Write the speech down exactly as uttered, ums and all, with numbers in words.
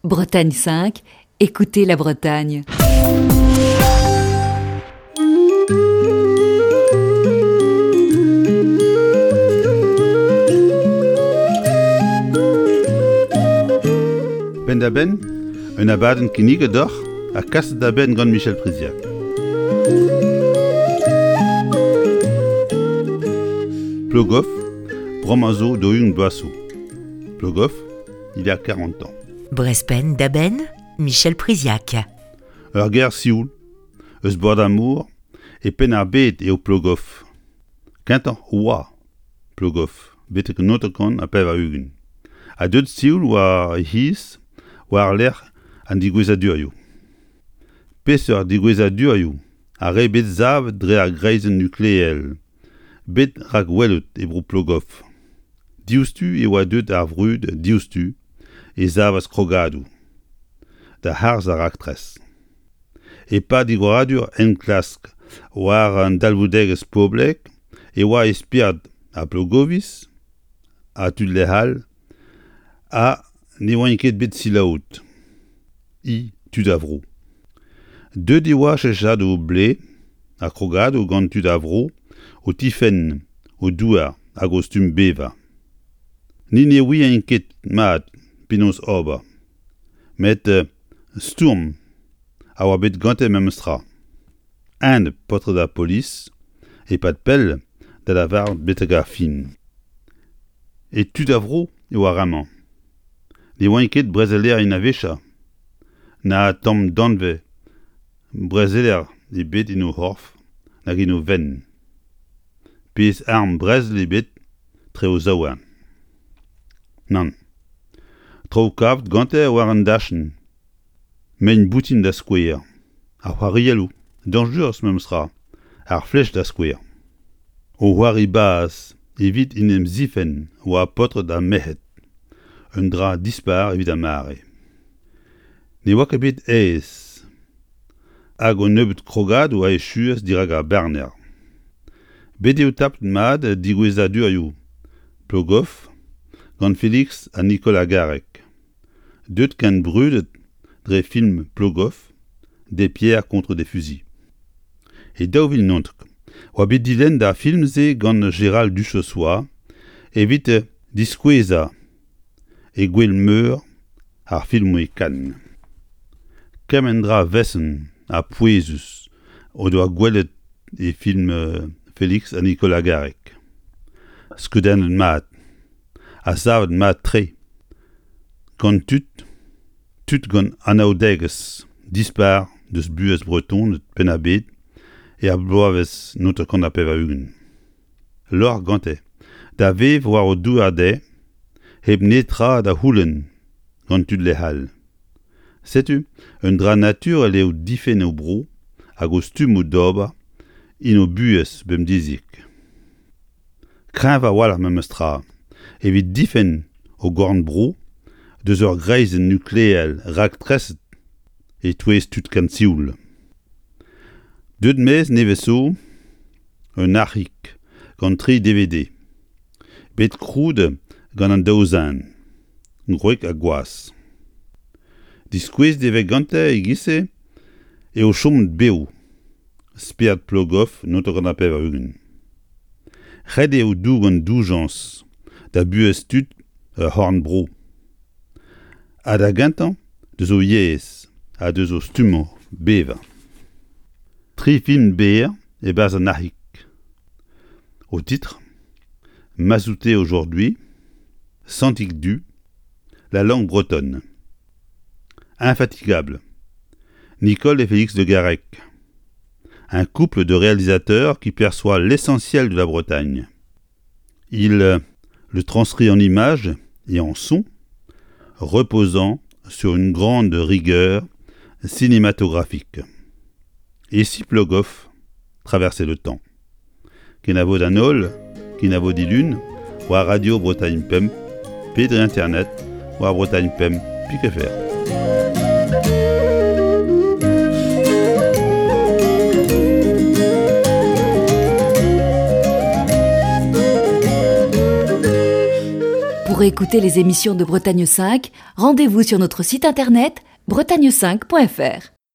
Bretagne cinq, écoutez la Bretagne. Penn-da-benn, un abadenn kinniget deoc'h ha kaset da benn gant Michel Priziac. Plogoff, bremañ zo daou-ugent bloaz zo. Plogoff, il y a quarante ans. Brest Penn-da-Benn, Michel Priziac. Ur gêr sioul, eus bord ar mor, e Penn-ar-Bed eo Plogoff. Kentañ oa Plogoff, betek an hanter-kant ha pevar-ugent. Ha deuet sioul war e c'hiz war-lerc'h an digouezadurioù. Peseurt digouezadurioù ar re bet savet dre ar greizenn nukleel, bet rakwelet e bro Plogoff. Diouzhtu e oa deuet ar vrud diouzhtu e savas krogadoù da harz ar raktres. E-pad digoradur enklask war an dalvoudegezh poblek e oa e spered ar Plogoviz ha tud lec'h all ha ne oant ket bet selaouet. I tud a vro. Deuet e oa cheñchadoù blez ha krogadoù gant tud a vro o tifenn o douar hag o stumm bevañ. Ni ne ouient ket mat penaos ober, met stourm a oa bet gante memestra. Enep paotred ar polis e-pad pell da lavaret betek ar fin. E tud a vro e oa ramañ. Ne oant ket brezelerien a-wechañ, na tamm danvez brezeler ebet en o c'horf nag en o fenn. Pezh arm brezel ebet tre o zaouarn. Nann. Traoù kavet gante war an dachenn. Mein boutin da skouer. Ar c'hoarielloù, dañjerus memestra, ar flech da skouer. O c'hoari baz evit en em zifenn oa paotred ha merc'hed. Un dra dispar evit ar mare. Ne oa ket bet aes. Hag un nebeud krogadoù a echuas dirak ar barner. Bet eo tapet mat digouezadurioù Plogoff gant Félix ha Nicolas Garrec. Deuet ken brudet dre film Plogoff, des pierres contre des fusils. E daou vil naontek oa bet dilennet ar film-se gant Gérald Duchossois evit diskouezañ e gwel-meur ar filmoù e Cannes. Kement dra vesenn ha pouezus o doa gwelet e film Félix ha Nicolas Garrec. Skeudennet mat, ha savet mat-tre, gant tud, tud gant anaoudegezh dispar deus buhez Bretoned Penn-ar-Bed er bloavezh naontek ha pevar-ugent. Lorc'h gante, da vev war o douar dezhe, hep netra da c'houlenn gant tud lec'h all. Setu un dra naturel eo difenn o bro hag o stummoù d'ober en o buhez bemdeziek. Kreñv a-walc'h memestra evit difenn o gorn-bro deus ur greizenn nukleel raktreset e-touez tud ken sioul. Deuet maez nevez zo un arc'hig gant tri D V D. Bet krouet gant an daou zen, gwreg ha gwaz. Diskouezet e vez gante e-giz-se eo chomet bev. Spered Plogoff naontek ha pevar-ugent. Ret eo dougen doujañs da buhez tud ur c'horn-bro. Ha da gentañ deus o yezh ha deus o stummoù bevañ. Tri film berr e-barzh an arc'hig. Au titre, Mazouté aujourd'hui, Santig du, La langue bretonne. Infatigable. Nicole et Félix de Garrec. Un couple de réalisateurs qui perçoit l'essentiel de la Bretagne. Il le transcrit en images et en son, reposant sur une grande rigueur cinématographique. Et si Plogoff traversait le temps? Kenavo d'an holl, kenavo dilun, war Radio Bretagne Pemp, pe dre internet, war Bretagne Pemp, pik F R. Pour Pour écouter les émissions de Bretagne cinq, rendez-vous sur notre site internet bretagne cinq point F R.